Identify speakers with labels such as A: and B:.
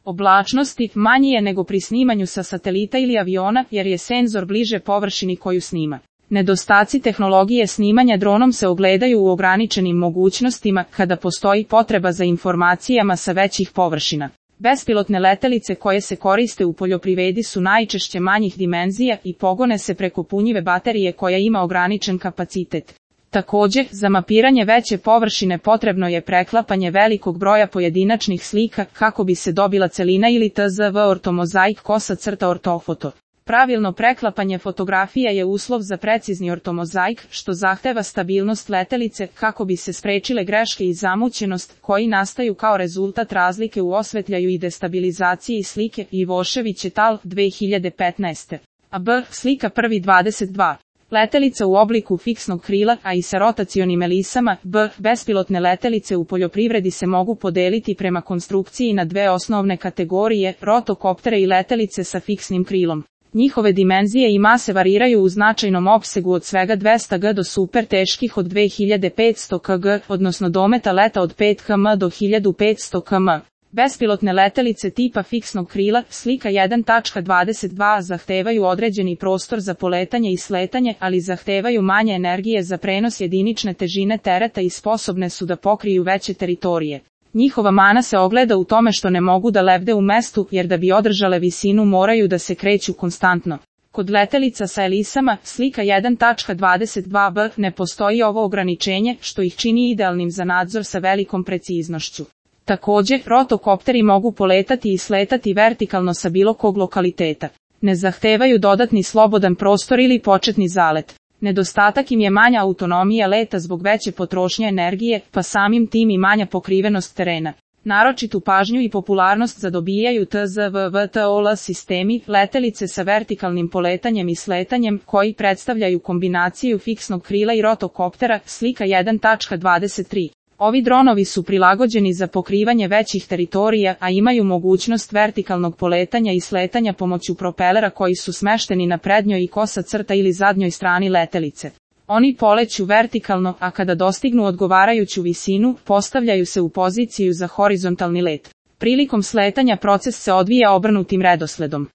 A: oblačnosti manji je nego pri snimanju sa satelita ili aviona jer je senzor bliže površini koju snima. Nedostaci tehnologije snimanja dronom se ogledaju u ograničenim mogućnostima kada postoji potreba za informacijama sa većih površina. Bespilotne letelice koje se koriste u poljoprivredi su najčešće manjih dimenzija i pogone se preko punjive baterije koja ima ograničen kapacitet. Također, za mapiranje veće površine potrebno je preklapanje velikog broja pojedinačnih slika kako bi se dobila celina ili tzv. Ortomozaik _ortofoto. Pravilno preklapanje fotografija je uslov za precizni ortomozaik, što zahteva stabilnost letelice kako bi se sprečile greške i zamućenost koji nastaju kao rezultat razlike u osvetljaju i destabilizaciji slike. Ivošević et al. 2015. AB, slika 1.22. Letelica u obliku fiksnog krila, a i sa rotacionim elisama. Bespilotne letelice u poljoprivredi se mogu podeliti prema konstrukciji na dve osnovne kategorije, rotokoptere i letelice sa fiksnim krilom. Njihove dimenzije i mase variraju u značajnom opsegu od svega 200 g do super teških od 2500 kg, odnosno dometa leta od 5 km do 1500 km. Bespilotne letelice tipa fiksnog krila, slika 1.22 zahtevaju određeni prostor za poletanje i sletanje, ali zahtevaju manje energije za prenos jedinične težine tereta i sposobne su da pokriju veće teritorije. Njihova mana se ogleda u tome što ne mogu da lebde u mestu, jer da bi održale visinu moraju da se kreću konstantno. Kod letelica sa elisama, slika 1.22b, ne postoji ovo ograničenje, što ih čini idealnim za nadzor sa velikom preciznošću. Također, rotokopteri mogu poletati i sletati vertikalno sa bilo kog lokaliteta. Ne zahtevaju dodatni slobodan prostor ili početni zalet. Nedostatak im je manja autonomija leta zbog veće potrošnje energije, pa samim tim i manja pokrivenost terena. Naročitu pažnju i popularnost zadobijaju TZVVTOL sistemi, letelice sa vertikalnim poletanjem i sletanjem, koji predstavljaju kombinaciju fiksnog krila i rotokoptera, slika 1.23. Ovi dronovi su prilagođeni za pokrivanje većih teritorija, a imaju mogućnost vertikalnog poletanja i sletanja pomoću propelera koji su smešteni na prednjoj i kosa crta ili zadnjoj strani letelice. Oni poleću vertikalno, a kada dostignu odgovarajuću visinu, postavljaju se u poziciju za horizontalni let. Prilikom sletanja proces se odvija obrnutim redosledom.